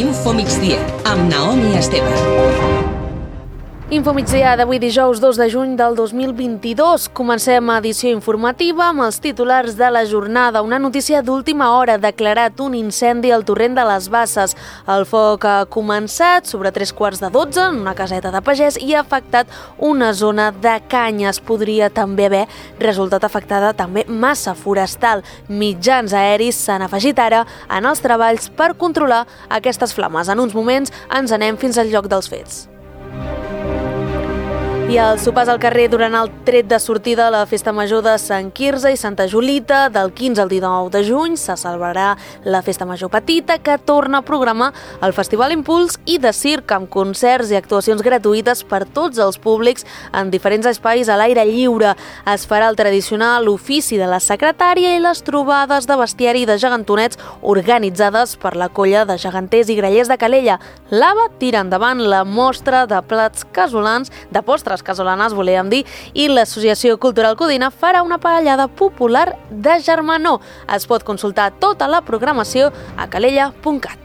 Info Migdia, amb Naomi Esteve. Info Migdia d'avui dijous 2 de juny del 2022. Comencem edició informativa amb els titulars de la jornada. Una notícia d'última hora: declarat un incendi al torrent de les Basses. El foc ha començat sobre 3:15 en una caseta de pagès i ha afectat una zona de canyes. Podria també haver resultat afectada també massa forestal. Mitjans aeris s'han afegit ara en els treballs per controlar aquestes flames. En uns moments ens anem fins al lloc dels fets. I els sopars al carrer durant el tret de sortida a la Festa Major de Sant Quirze i Santa Julita. Del 15 al 19 de juny se celebrarà la Festa Major Petita, que torna a programar el Festival Impuls i de circ, amb concerts i actuacions gratuïtes per tots els públics en diferents espais a l'aire lliure. Es farà el tradicional ofici de la secretària i les trobades de bestiari de gegantonets organitzades per la colla de geganters i grallers de Calella. L'AVA tira endavant la mostra de plats casolans, de postres casolanes, volíem dir, i l'Associació Cultural Codina farà una paellada popular de germanor. Es pot consultar tota la programació a calella.cat.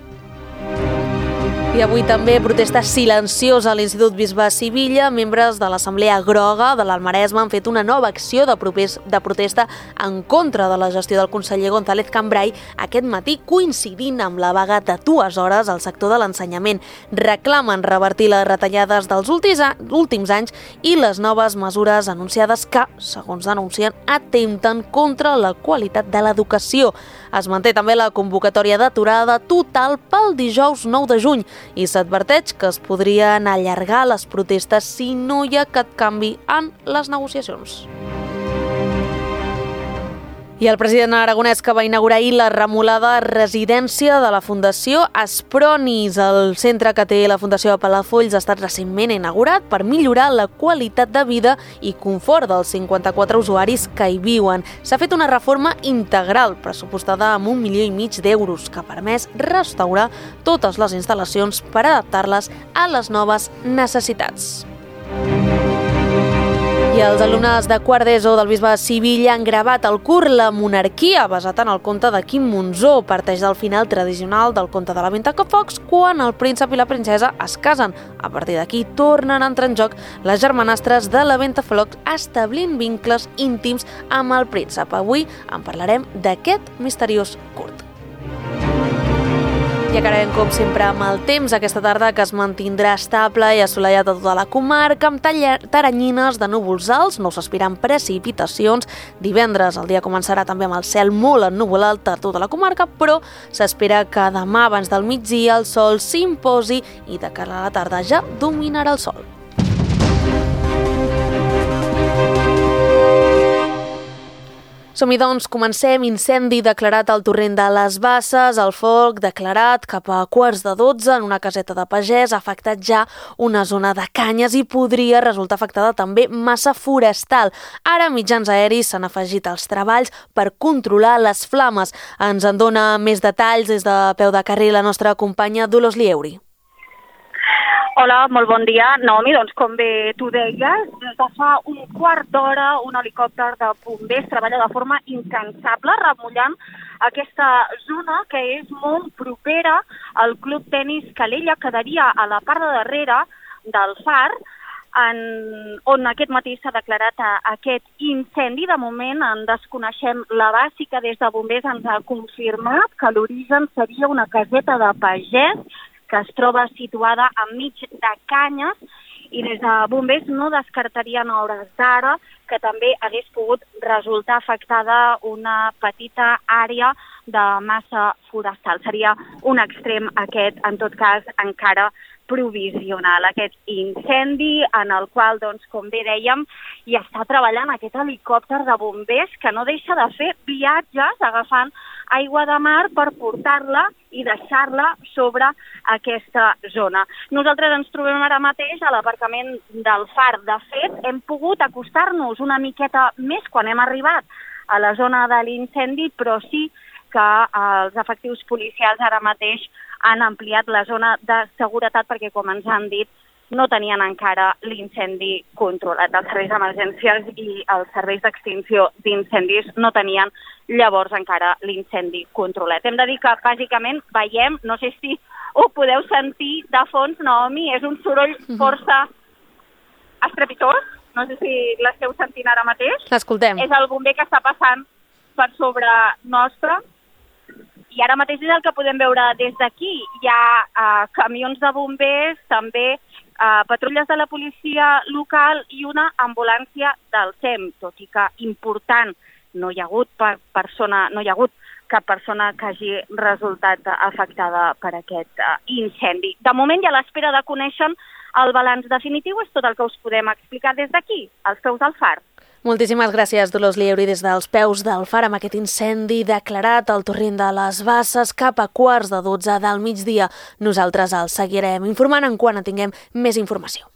I avui també protesta silenciosa a l'Institut Bisbe Sivilla. Membres de l'Assemblea Groga de l'Almaresme han fet una nova acció de protesta en contra de la gestió del conseller González Cambray aquest matí, coincidint amb la vaga de 2 hores al sector de l'ensenyament. Reclamen revertir les retallades dels últims anys i les noves mesures anunciades que, segons denuncien, atempten contra la qualitat de l'educació. Es manté també la convocatòria d'aturada total pel dijous 9 de juny i s'adverteix que es podrien allargar les protestes si no hi ha cap canvi en les negociacions. I el president aragonès, que va inaugurar ahir la remolada residència de la Fundació Aspronis. El centre que té la Fundació de Palafolls ha estat recentment inaugurat per millorar la qualitat de vida i confort dels 54 usuaris que hi viuen. S'ha fet una reforma integral, pressupostada amb 1,5 milions d'euros, que ha permès restaurar totes les instal·lacions per adaptar-les a les noves necessitats. I els alumnes de quart d'ESO del Bisbe de Sivilla han gravat el curt La monarquia, basat en el conte de Quim Monzó. Parteix del final tradicional del conte de la Ventafocs, quan el príncep i la princesa es casen. A partir d'aquí tornen a entrar en joc les germanastres de la Ventafocs, establint vincles íntims amb el príncep. Avui en parlarem d'aquest misteriós curt. I acabarem, com sempre, amb el temps aquesta tarda, que es mantindrà estable i assolellat a tota la comarca, amb teranyines de núvols alts. No s'aspiren precipitacions. Divendres el dia començarà també amb el cel molt ennuvolat a tota la comarca, però s'espera que demà, abans del migdia, el sol s'imposi i de cara a la tarda ja dominarà el sol. Som-hi, doncs, comencem. Incendi declarat al torrent de les Basses. El foc declarat cap a 11:15 en una caseta de pagès ha afectat ja una zona de canyes i podria resultar afectada també massa forestal. Ara mitjans aeris s'han afegit als treballs per controlar les flames. Ens en dona més detalls des de peu de carrer la nostra companya Dolors Lieuri. Hola, molt bon dia. Naomi, doncs com bé tu deies, des de fa un quart d'hora un helicòpter de bombers treballa de forma incansable remullant aquesta zona que és molt propera al Club Tenis Calella, que quedaria a la part de darrere del far, on aquest matí s'ha declarat aquest incendi. De moment en desconeixem l'abast, i que des de bombers ens ha confirmat que l'origen seria una caseta de pagès que es troba situada enmig de canyes, i des de bombers no descartarien a hores d'ara que també hagués pogut resultar afectada una petita àrea de massa forestal. Seria un extrem aquest, en tot cas, encara provisional, aquest incendi en el qual, doncs, com bé dèiem, hi està treballant aquest helicòpter de bombers que no deixa de fer viatges agafant aigua de mar per portar-la i deixar-la sobre aquesta zona. Nosaltres ens trobem ara mateix a l'aparcament del far. De fet, hem pogut acostar-nos una miqueta més quan hem arribat a la zona de l'incendi, però sí que els efectius policials ara mateix han ampliat la zona de seguretat perquè, com ens han dit, no tenien encara l'incendi controlat. Els serveis d'emergències i els serveis d'extinció d'incendis no tenien llavors encara l'incendi controlat. Hem de dir que bàsicament veiem, no sé si ho podeu sentir de fons, Naomi, és un soroll força estrepitós, no sé si l'esteu sentint ara mateix. L'escoltem. És el bomber que està passant per sobre nostre. I ara mateix és el que podem veure des d'aquí. Hi ha camions de bombers, també patrulles de la policia local i una ambulància del SEM, tot i que important, no hi ha hagut cap persona que hagi resultat afectada per aquest incendi. De moment, i a l'espera de conèixer el balanç definitiu, és tot el que us podem explicar des d'aquí, als peus del far. Moltíssimes gràcies, Dolors Lieuri, des dels peus del far, amb aquest incendi declarat al torrent de les Basses cap a 11:15 del migdia. Nosaltres el seguirem informant en quan tinguem més informació.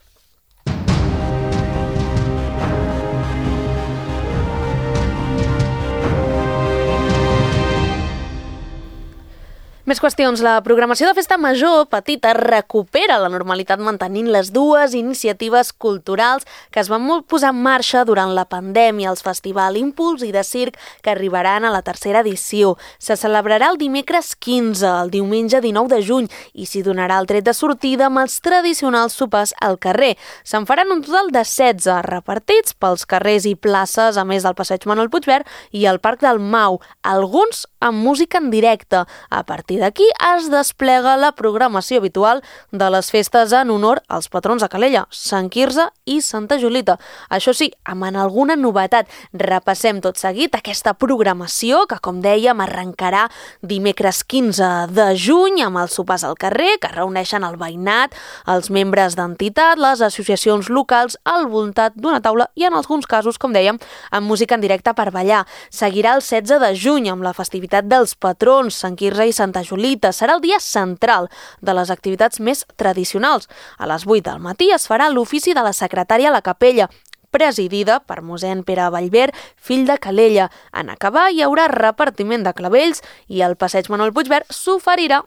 Més qüestions. La programació de Festa Major Petita recupera la normalitat mantenint les dues iniciatives culturals que es van posar en marxa durant la pandèmia, els Festival Impuls i de Circ, que arribaran a la tercera edició. Se celebrarà el dimecres 15, el diumenge 19 de juny, i s'hi donarà el tret de sortida amb els tradicionals sopars al carrer. Se'n faran un total de 16, repartits pels carrers i places, a més del passeig Manuel Puigverd i el Parc del Mau, alguns amb música en directe. A partir d'aquí es desplega la programació habitual de les festes en honor als patrons de Calella, Sant Quirze i Santa Julita. Això sí, amb alguna novetat. Repassem tot seguit aquesta programació que, com dèiem, arrencarà dimecres 15 de juny amb els sopars al carrer, que reuneixen el veïnat, els membres d'entitat, les associacions locals al voltant d'una taula i, en alguns casos, com dèiem, amb música en directe per ballar. Seguirà el 16 de juny amb la festivitat dels patrons, Sant Quirze i Santa Julita. Serà el dia central de les activitats més tradicionals. A les 8 del matí es farà l'ofici de la secretària a la capella, presidida per mossèn Pere Vallver, fill de Calella. En acabar hi haurà repartiment de clavells i al passeig Manuel Puigverd s'oferirà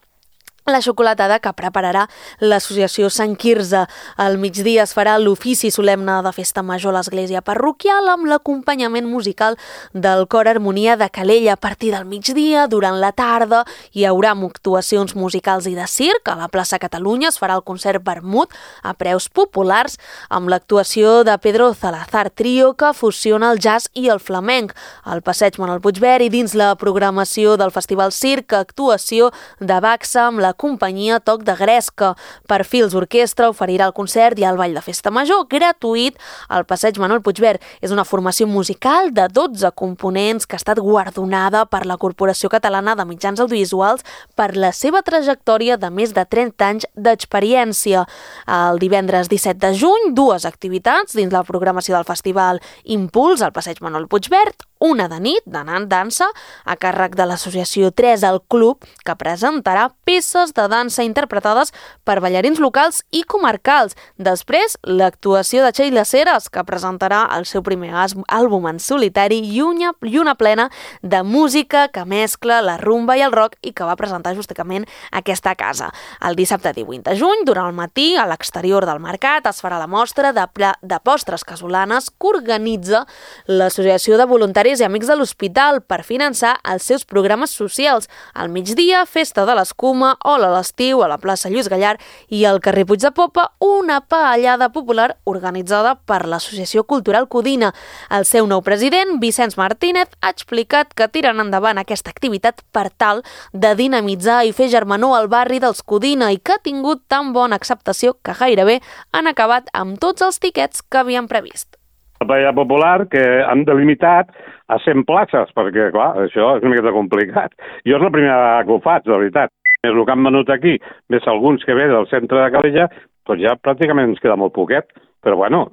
la xocolatada que prepararà l'associació Sant Quirze. Al migdia es farà l'ofici solemne de Festa Major a l'església parroquial amb l'acompanyament musical del Cor Harmonia de Calella. A partir del migdia, durant la tarda, hi haurà actuacions musicals i de circ. A la plaça Catalunya es farà el concert Vermut a preus populars amb l'actuació de Pedro Salazar Trio, que fusiona el jazz i el flamenc. Al passeig Manuel Puigverd i dins la programació del Festival Circ, actuació de Baxa amb la companyia Toc de Gresca. Perfils Orquestra oferirà el concert i el ball de Festa Major gratuït al passeig Manuel Puigverd. És una formació musical de 12 components que ha estat guardonada per la Corporació Catalana de Mitjans Audiovisuals per la seva trajectòria de més de 30 anys d'experiència. El divendres 17 de juny, dues activitats dins la programació del Festival Impuls al passeig Manuel Puigverd, una de nit, d'anant dansa, a càrrec de l'associació 3 al Club, que presentarà peces de dansa interpretades per ballarins locals i comarcals. Després, l'actuació de Sheila Ceres, que presentarà el seu primer àlbum en solitari i una plena de música que mescla la rumba i el rock i que va presentar justament aquesta casa. El dissabte 18 de juny, durant el matí, a l'exterior del mercat, es farà la mostra de postres casolanes que organitza l'Associació de Voluntaris i Amics de l'Hospital per finançar els seus programes socials. Al migdia, festa de l'escuma, Ola a l'estiu a la plaça Lluís Gallard i al carrer Puig de Popa, una paellada popular organitzada per l'Associació Cultural Codina. El seu nou president, Vicenç Martínez, ha explicat que tiren endavant aquesta activitat per tal de dinamitzar i fer germanor al barri dels Codina i que ha tingut tan bona acceptació que gairebé han acabat amb tots els tiquets que havien previst. La paella popular que han delimitat a 100 places, perquè, clar, això és una miqueta complicat. Jo és la primera vegada que ho faig, de veritat. És el que han venut aquí, més alguns que ve del centre de Calella, doncs ja pràcticament ens queda molt poquet. Però, bueno,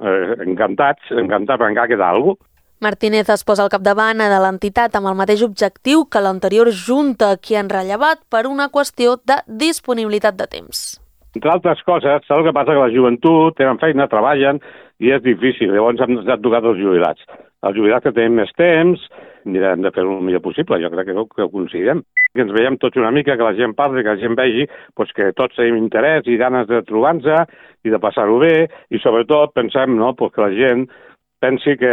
encantat, perquè encara queda alguna cosa. Martínez es posa al capdavant de l'entitat amb el mateix objectiu que l'anterior junta, que han rellevat per una qüestió de disponibilitat de temps. Entre altres coses, saps el que passa? Que la joventut tenen feina, treballen, i és difícil. Llavors hem tocat els jubilats. Els jubilats que tenim més temps, hem de fer-ho el millor possible. Jo crec que ho aconseguirem. Que ens veiem tots una mica, que la gent parli, que la gent vegi que tots tenim interès i ganes de trobar-nos i de passar-ho bé, i sobretot pensem que la gent pensi que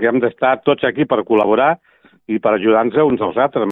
hem d'estar tots aquí per col·laborar i per ajudar-nos uns als altres.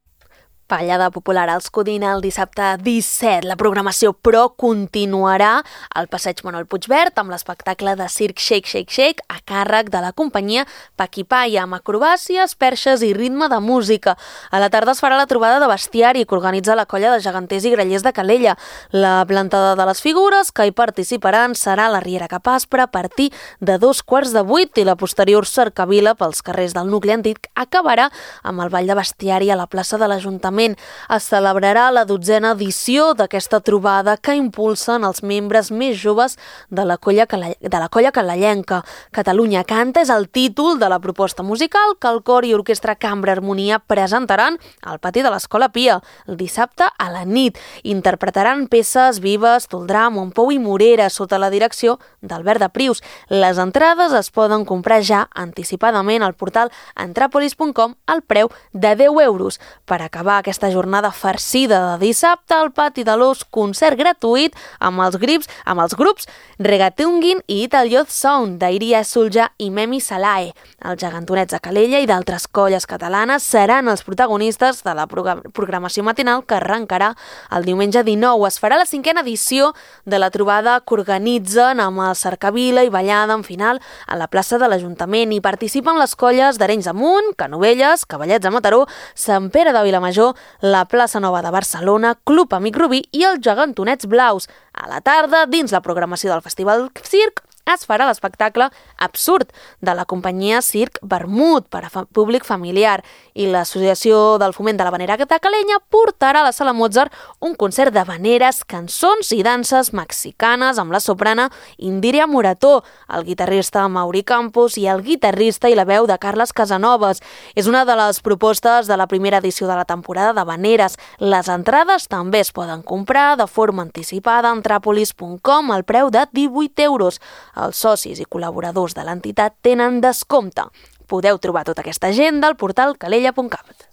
Ballada popular als Codina el dissabte 17. La programació, però, continuarà al passeig Manuel Puigverd amb l'espectacle de circ Shake Shake Shake a càrrec de la companyia Paquipaya, amb acrobàcies, perxes i ritme de música. A la tarda es farà la trobada de bestiari que organitza la colla de geganters i grallers de Calella. La plantada de les figures que hi participaran serà la Riera Capaspre a partir de 7:15 i la posterior cercavila pels carrers del nucli antic acabarà amb el ball de bestiari a la plaça de l'Ajuntament. Es celebrarà la 12a edició d'aquesta trobada que impulsen els membres més joves de la colla calellenca. Catalunya Canta és el títol de la proposta musical que el cor i orquestra Cambra Harmonia presentaran al pati de l'Escola Pia el dissabte a la nit. Interpretaran peces vives d'Oldrà, Montpou i Morera sota la direcció d'Albert de Prius. Les entrades es poden comprar ja anticipadament al portal entrapolis.com al preu de 10 euros. Per acabar aquesta jornada farcida de dissabte al pati de l'Os, concert gratuït amb els grups Regatungin i Ital Youth Sound d'Iria Sulja i Memi Salae. Els gegantonets de Calella i d'altres colles catalanes seran els protagonistes de la programació matinal que arrencarà el diumenge 19. Es farà la 5a edició de la trobada que organitzen amb el cercavila i ballada en final a la plaça de l'Ajuntament. Hi participen les colles d'Arenys de Munt, Canovelles, Cavallets de Mataró, Sant Pere de Vilamajor, la Plaça Nova de Barcelona, Club Amic Rubí i els Gegantonets Blaus. A la tarda, dins la programació del Festival Circ, es farà l'espectacle Absurd de la companyia Circ Vermut per a públic familiar i l'Associació del Foment de l'Havanera de Calella portarà a la Sala Mozart un concert d'habaneres, cançons i danses mexicanes amb la soprana Indíria Morató, el guitarrista Mauri Campos i el guitarrista i la veu de Carles Casanovas. És una de les propostes de la primera edició de la temporada d'habaneres. Les entrades també es poden comprar de forma anticipada a entrapolis.com al preu de 18 euros. Els socis i col·laboradors de l'entitat tenen descompte. Podeu trobar tota aquesta agenda al portal calella.cat.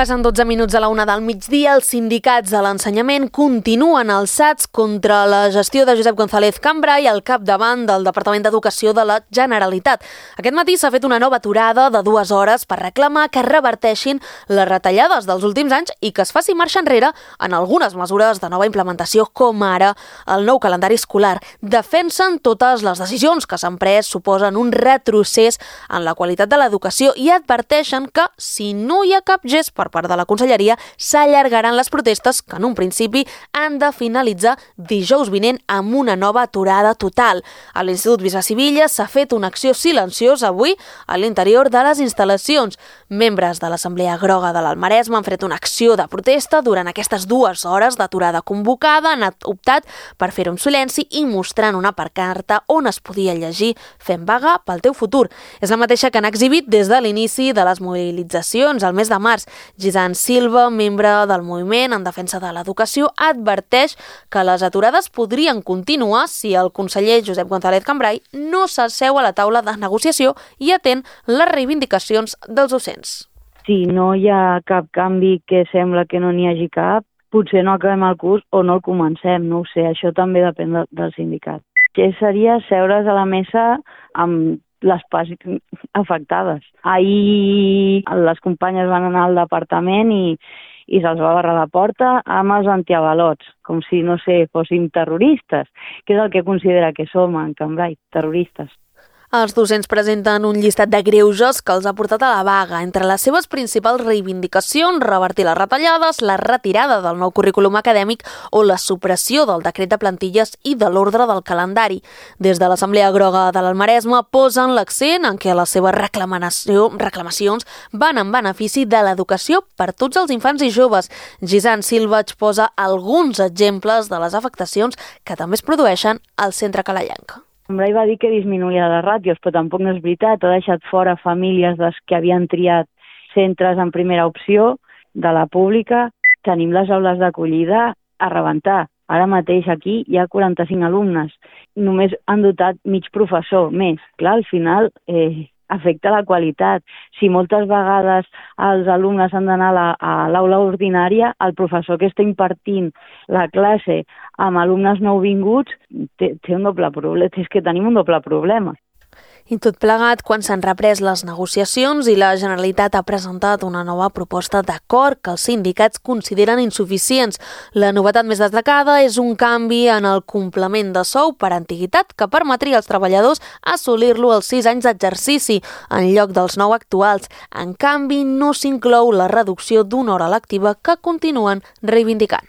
Passen 12 minuts a la 1 del migdia. Els sindicats de l'ensenyament continuen alçats contra la gestió de Josep González Cambray al capdavant del Departament d'Educació de la Generalitat. Aquest matí s'ha fet una nova aturada de 2 hores per reclamar que reverteixin les retallades dels últims anys i que es faci marxa enrere en algunes mesures de nova implementació, com ara el nou calendari escolar. Defensen totes les decisions que s'han pres suposen un retrocés en la qualitat de l'educació i adverteixen que, si no hi ha cap gest per part de la Conselleria, s'allargaran les protestes que en un principi han de finalitzar dijous vinent amb una nova aturada total. A l'Institut Bisbe Sivilla s'ha fet una acció silenciosa avui a l'interior de les instal·lacions. Membres de l'Assemblea Groga de l'Almaresme han fet una acció de protesta durant aquestes 2 hores d'aturada convocada. Han optat per fer-ho en silenci i mostrant una pancarta on es podia llegir "Fem vaga pel teu futur". És la mateixa que han exhibit des de l'inici de les mobilitzacions al mes de març. Gisant Silva, membre del moviment en defensa de l'educació, adverteix que les aturades podrien continuar si el conseller Josep González Cambray no s'asseu a la taula de negociació i atén les reivindicacions dels docents. Si no hi ha cap canvi, que sembla que no n'hi hagi cap, potser no acabem el curs o no el comencem, no ho sé, això també depèn del sindicat. Que seria seure's a la mesa amb les parts afectades. Ahir les companyes van anar al departament i se'ls va barrar la porta amb els antiavalots, com si, no sé, fóssim terroristes, que és el que considera que som en Cambray, terroristes. Els docents presenten un llistat de greuges que els ha portat a la vaga. Entre les seves principals reivindicacions, revertir les retallades, la retirada del nou currículum acadèmic o la supressió del decret de plantilles i de l'ordre del calendari. Des de l'Assemblea Groga de l'Almaresme posen l'accent en què les seves reclamacions van en benefici de l'educació per tots els infants i joves. Gisant Silva exposa alguns exemples de les afectacions que també es produeixen al centre calellenc. Ell va dir que disminuïa les ràtios, però tampoc no és veritat. Ha deixat fora famílies que havien triat centres en primera opció de la pública. Tenim les aules d'acollida a rebentar. Ara mateix aquí hi ha 45 alumnes. Només han dotat mig professor més. Clar, al final afecta la qualitat. Si moltes vegades els alumnes han d'anar a l'aula ordinària, el professor que està impartint la classe amb alumnes nouvinguts té un doble problema. És que tenim un doble problema. I tot plegat, quan s'han reprès les negociacions i la Generalitat ha presentat una nova proposta d'acord que els sindicats consideren insuficients. La novetat més destacada és un canvi en el complement de sou per antiguitat que permetria als treballadors assolir-lo als 6 anys d'exercici, en lloc dels 9 actuals. En canvi, no s'inclou la reducció d'una hora lectiva que continuen reivindicant.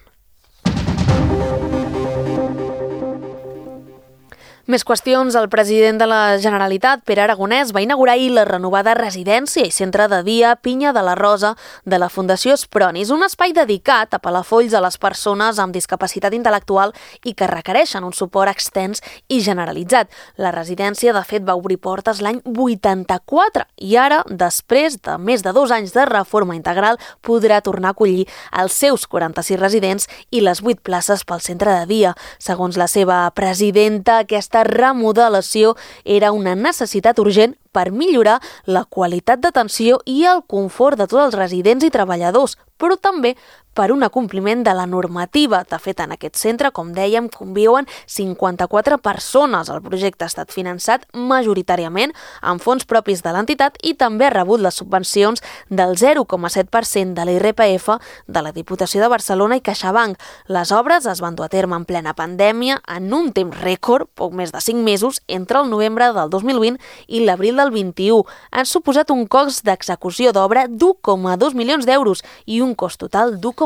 Més qüestions. El president de la Generalitat, Pere Aragonès, va inaugurar ahir la renovada residència i centre de dia Pinya de la Rosa de la Fundació Espronis, un espai dedicat a Palafolls a les persones amb discapacitat intel·lectual i que requereixen un suport extens i generalitzat. La residència, de fet, va obrir portes l'any 84 i ara, després de més de 2 anys de reforma integral, podrà tornar a acollir els seus 46 residents i les 8 places pel centre de dia. Segons la seva presidenta, aquesta remodelació era una necessitat urgent per millorar la qualitat d'atenció i el confort de tots els residents i treballadors, però també per un acompliment de la normativa. De fet, en aquest centre, com dèiem, conviuen 54 persones. El projecte ha estat finançat majoritàriament amb fons propis de l'entitat i també ha rebut les subvencions del 0,7% de l'IRPF de la Diputació de Barcelona i CaixaBank. Les obres es van dur a terme en plena pandèmia en un temps rècord, poc més de 5 mesos, entre el novembre del 2020 i l'abril del 21. Han suposat un cost d'execució d'obra d'1,2 milions d'euros i un cost total d'1,5.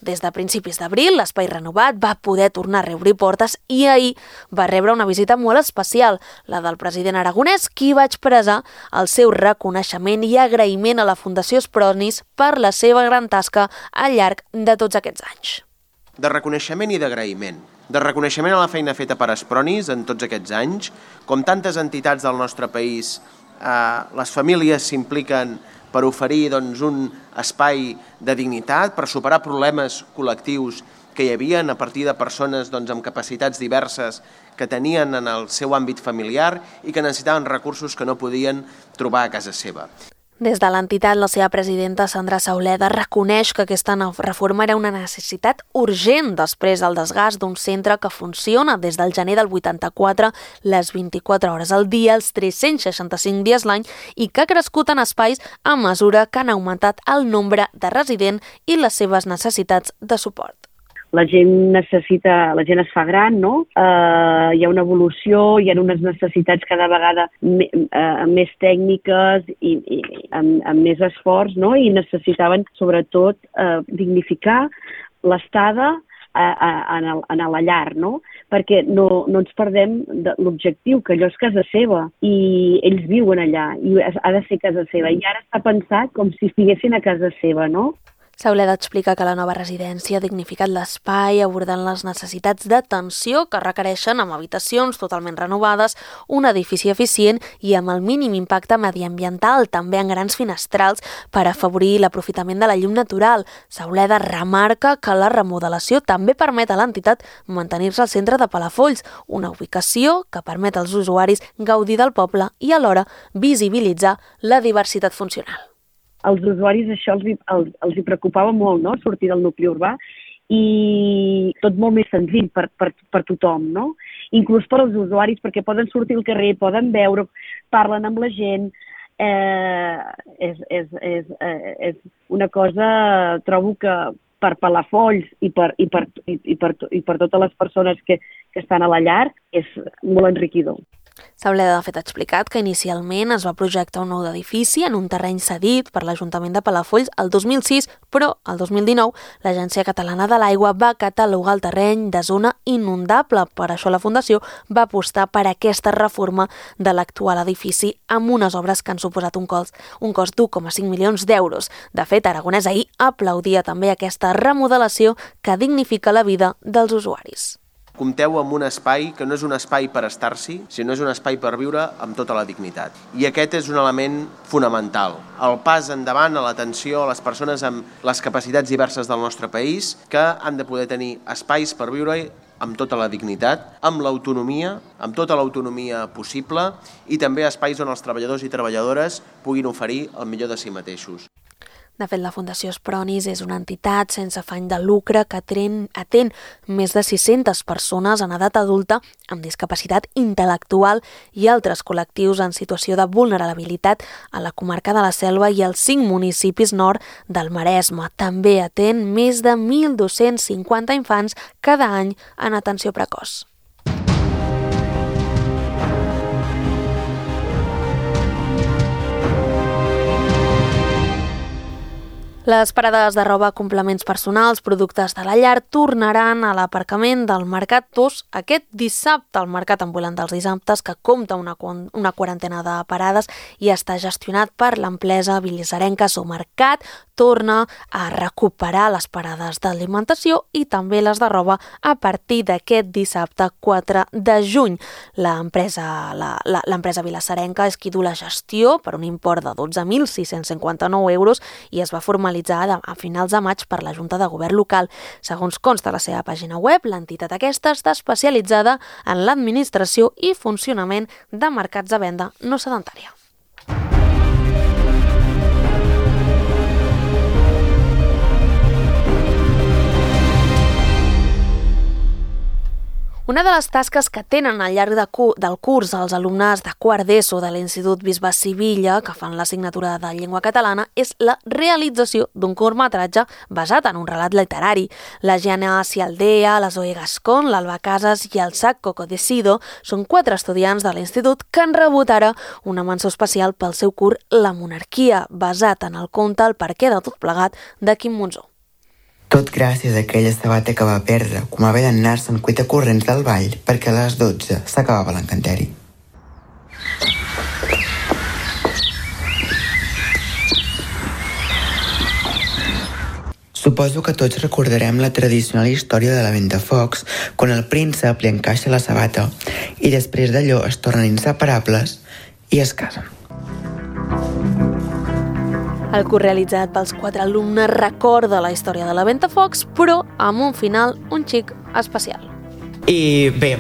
Des de principis d'abril, l'espai renovat va poder tornar a reobrir portes i ahir va rebre una visita molt especial, la del president Aragonès, qui va expressar el seu reconeixement i agraïment a la Fundació Espronis per la seva gran tasca al llarg de tots aquests anys. De reconeixement i d'agraïment. De reconeixement a la feina feta per Espronis en tots aquests anys. Com tantes entitats del nostre país, les famílies s'impliquen per oferir un espai de dignitat, per superar problemes col·lectius que hi havia a partir de persones amb capacitats diverses que tenien en el seu àmbit familiar i que necessitaven recursos que no podien trobar a casa seva. Des de l'entitat, la seva presidenta, Sandra Sauleda, reconeix que aquesta reforma era una necessitat urgent després del desgast d'un centre que funciona des del gener del 84, les 24 hores al dia, els 365 dies l'any i que ha crescut en espais a mesura que han augmentat el nombre de residents i les seves necessitats de suport. La gent es fa gran, no? Hi ha una evolució, hi ha unes necessitats cada vegada més tècniques i amb més esforç, no? I necessitaven, sobretot, dignificar l'estada en la llar, no? Perquè no ens perdem de l'objectiu, que allò és casa seva i ells viuen allà i ha de ser casa seva. I ara està pensat com si estiguessin a casa seva, no? Sauleda explica que la nova residència ha dignificat l'espai abordant les necessitats d'atenció que requereixen amb habitacions totalment renovades, un edifici eficient i amb el mínim impacte mediambiental, també en grans finestrals per afavorir l'aprofitament de la llum natural. Sauleda remarca que la remodelació també permet a l'entitat mantenir-se al centre de Palafolls, una ubicació que permet als usuaris gaudir del poble i alhora visibilitzar la diversitat funcional. Als usuaris això els hi preocupava molt, no?, sortir del nucli urbà i tot molt més senzill per tothom, no? Inclús per als usuaris, perquè poden sortir al carrer, poden veure, parlen amb la gent. És una cosa, trobo que per Palafolls i per totes les persones que estan a la llar és molt enriquidor. Sauleda, de fet, ha explicat que inicialment es va projectar un nou edifici en un terreny cedit per l'Ajuntament de Palafolls el 2006, però el 2019 l'Agència Catalana de l'Aigua va catalogar el terreny de zona inundable. Per això la Fundació va apostar per aquesta reforma de l'actual edifici amb unes obres que han suposat un cost d'1,5 milions d'euros. De fet, Aragonès ahir aplaudia també aquesta remodelació que dignifica la vida dels usuaris. compteu amb un espai que no és un espai per estar-s'hi, sinó és un espai per viure amb tota la dignitat. I aquest és un element fonamental. El pas endavant a l'atenció a les persones amb les capacitats diverses del nostre país, que han de poder tenir espais per viure amb tota la dignitat, amb l'autonomia, amb tota l'autonomia possible, i també espais on els treballadors i treballadores puguin oferir el millor de si mateixos. De fet, la Fundació Espronis és una entitat sense afany de lucre que atén més de 600 persones en edat adulta amb discapacitat intel·lectual i altres col·lectius en situació de vulnerabilitat a la comarca de la Selva i als 5 municipis nord del Maresme. També atén més de 1.250 infants cada any en atenció precoç. Les parades de roba, complements personals, productes de la llar tornaran a l'aparcament del Mercat 2 aquest dissabte. El Mercat Ambulant dels Dissabtes, que compta una quarantena de parades i està gestionat per l'empresa bilisarenca Somercat, torna a recuperar les parades d'alimentació i també les de roba a partir d'aquest dissabte 4 de juny. L'empresa bilisarenca és qui du la gestió per un import de 12.659 euros i es va formalitzar a finals de maig per la Junta de Govern local. Segons consta a la seva pàgina web, l'entitat aquesta està especialitzada en l'administració i funcionament de mercats de venda no sedentària. Una de les tasques que tenen al llarg del curs els alumnes de quart d'ESO de l'Institut Bisbe Sivilla, que fan l'assignatura de llengua catalana, és la realització d'un curtmetratge basat en un relat literari. La Gianna Cialdea, la Zoe Gascon, l'Alba Casas i el Sac Cocodecido són 4 estudiants de l'institut que han rebut ara una menció especial pel seu curt La monarquia, basat en el conte El perquè de tot plegat de Quim Monzó. Tot gràcies a aquella sabata que va perdre, com haver d'anar-se'n cuita corrents del ball perquè a les 12 s'acabava l'encanteri. Suposo que tots recordarem la tradicional història de la Ventafocs, quan el príncep li encaixa la sabata i després d'allò es tornen inseparables i es casen. El curs realitzat pels 4 alumnes recorda la història de la Ventafocs, però amb un final un xic especial. I bé,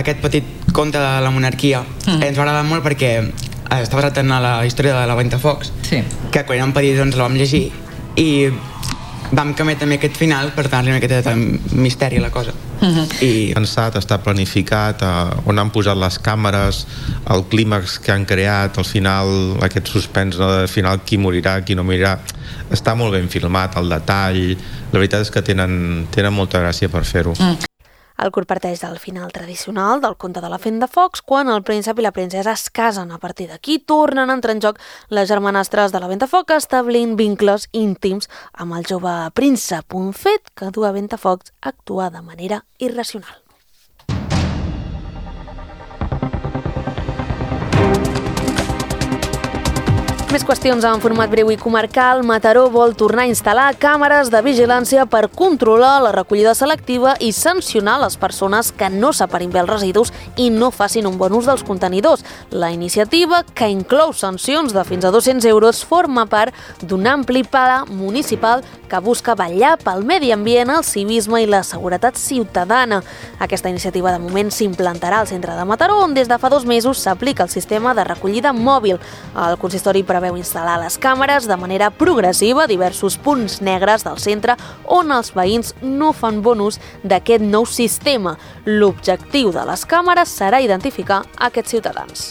aquest petit conte de la monarquia ens va agradar molt perquè està basat en la història de la Ventafocs, que quan érem petits doncs la vam llegir i vam canviar també aquest final per donar-li una miqueta de misteri a la cosa. I pensat, està planificat, on han posat les càmeres, el clímax que han creat, al final aquest suspens, al final qui morirà, qui no morirà, està molt ben filmat, el detall, la veritat és que tenen molta gràcia per fer-ho. El curt parteix del final tradicional del conte de la Ventafocs, quan el príncep i la princesa es casen. A partir d'aquí tornen a entrar en joc les germanastres de la Ventafocs, establint vincles íntims amb el jove príncep, un fet que du a Ventafocs a actuar de manera irracional. Més qüestions en format breu i comarcal. Mataró vol tornar a instal·lar càmeres de vigilància per controlar la recollida selectiva i sancionar les persones que no separin bé els residus i no facin un bon ús dels contenidors. La iniciativa, que inclou sancions de fins a 200 euros, forma part d'un ampli pla municipal que busca vetllar pel medi ambient, el civisme i la seguretat ciutadana. Aquesta iniciativa de moment s'implantarà al centre de Mataró, on des de fa 2 mesos s'aplica el sistema de recollida mòbil. El consistori preveu instal·lar les càmeres de manera progressiva a diversos punts negres del centre on els veïns no fan bon ús d'aquest nou sistema. L'objectiu de les càmeres serà identificar aquests ciutadans.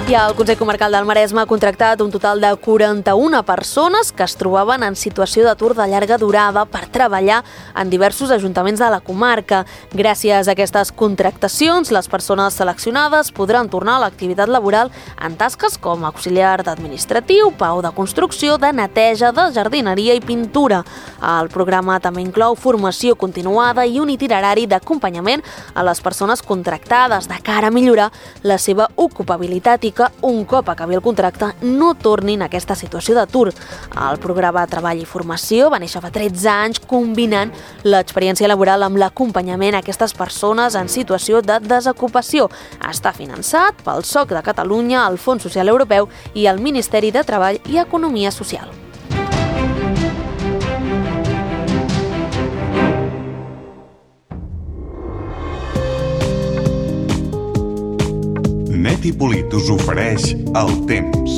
I el Consell Comarcal del Maresme ha contractat un total de 41 persones que es trobaven en situació d'atur de llarga durada per treballar en diversos ajuntaments de la comarca. Gràcies a aquestes contractacions, les persones seleccionades podran tornar a l'activitat laboral en tasques com auxiliar d'administratiu, pau de construcció, de neteja, de jardineria i pintura. El programa també inclou formació continuada i un itinerari d'acompanyament a les persones contractades de cara a millorar la seva ocupabilitat i que un cop acabi el contracte no tornin a aquesta situació d'atur. El programa Treball i Formació va néixer fa 13 anys combinant l'experiència laboral amb l'acompanyament a aquestes persones en situació de desocupació. Està finançat pel SOC de Catalunya, el Fons Social Europeu i el Ministeri de Treball i Economia Social. Net i Polit us ofereix el temps.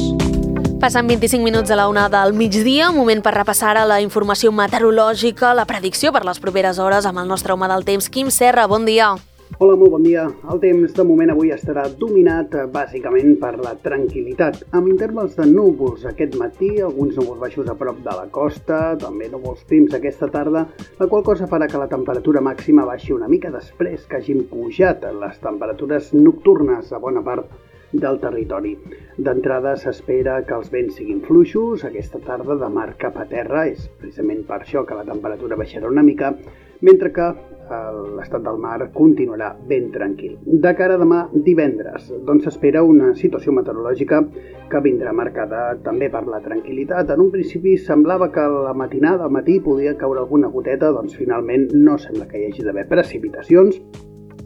Passen 25 minuts a la 1 del migdia, moment per repassar ara la informació meteorològica, la predicció per les properes hores amb el nostre home del temps, Quim Serra. Bon dia. Hola, molt bon dia. El temps de moment avui estarà dominat bàsicament per la tranquil·litat, amb intervals de núvols aquest matí, alguns núvols baixos a prop de la costa, també núvols prims aquesta tarda, la qual cosa farà que la temperatura màxima baixi una mica després que hagin pujat les temperatures nocturnes a bona part del territori. D'entrada s'espera que els vents siguin fluixos aquesta tarda de mar cap a terra, és precisament per això que la temperatura baixarà una mica, mentre que l'estat del mar continuarà ben tranquil. De cara a demà divendres, doncs s'espera una situació meteorològica que vindrà marcada també per la tranquil·litat. En un principi semblava que a la matinada, al matí, podia caure alguna goteta, doncs finalment no sembla que hi hagi d'haver precipitacions,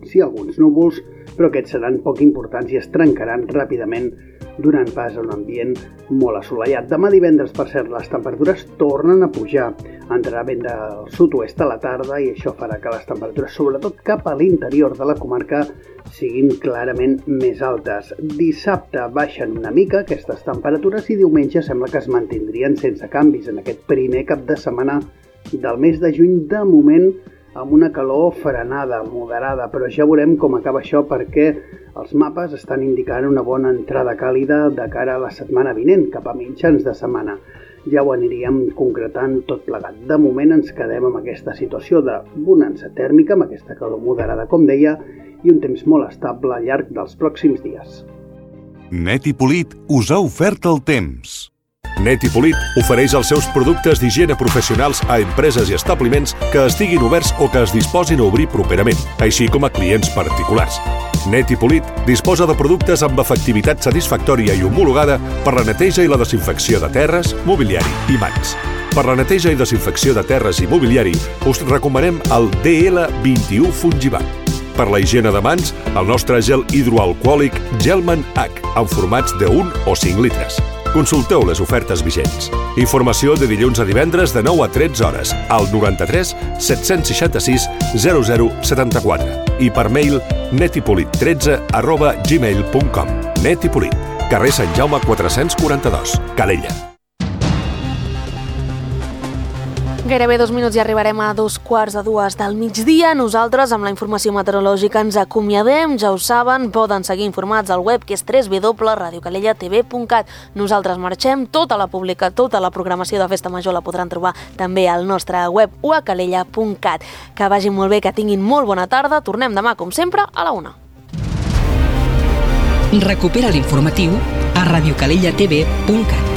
sí alguns núvols, però aquests seran poc importants i es trencaran ràpidament donant pas a un ambient molt assolellat. Demà divendres, per cert, les temperatures tornen a pujar. Entrarà vent del sud-oest a la tarda i això farà que les temperatures, sobretot cap a l'interior de la comarca, siguin clarament més altes. Dissabte baixen una mica aquestes temperatures i diumenge sembla que es mantindrien sense canvis en aquest primer cap de setmana del mes de juny, de moment amb una calor frenada, moderada, però ja veurem com acaba això perquè els mapes estan indicant una bona entrada càlida de cara a la setmana vinent, cap a mitjans de setmana. Ja ho aniríem concretant tot plegat. De moment ens quedem amb aquesta situació de bonança tèrmica, amb aquesta calor moderada, com deia, i un temps molt estable al llarg dels pròxims dies. Net i Polit us ha ofert el temps. Net i Polit ofereix els seus productes d'higiene professionals a empreses i establiments que estiguin oberts o que es disposin a obrir properament, així com a clients particulars. Net i Polit disposa de productes amb efectivitat satisfactòria i homologada per la neteja i la desinfecció de terres, mobiliari i mans. Per la neteja i desinfecció de terres i mobiliari us recomanem el DL21 Fungibat. Per la higiene de mans, el nostre gel hidroalcohòlic Gelman H, en formats de 1 o 5 litres. Consulteu les ofertes vigents. Informació de dilluns a divendres de 9 a 13 hores al 93 766 0074 i per mail netipolit13@gmail.com. Net i Polit, carrer Sant Jaume 442, Calella. Gairebé 2 minuts i arribarem a 2:45 del migdia. Nosaltres, amb la informació meteorològica, ens acomiadem. Ja ho saben, poden seguir informats al web, que és www.radiocalellatv.cat. Nosaltres marxem. Tota la programació de Festa Major la podran trobar també al nostre web o a calella.cat. Que vagin molt bé, que tinguin molt bona tarda. Tornem demà, com sempre, a la 1. Recupera l'informatiu a radiocalellatv.cat.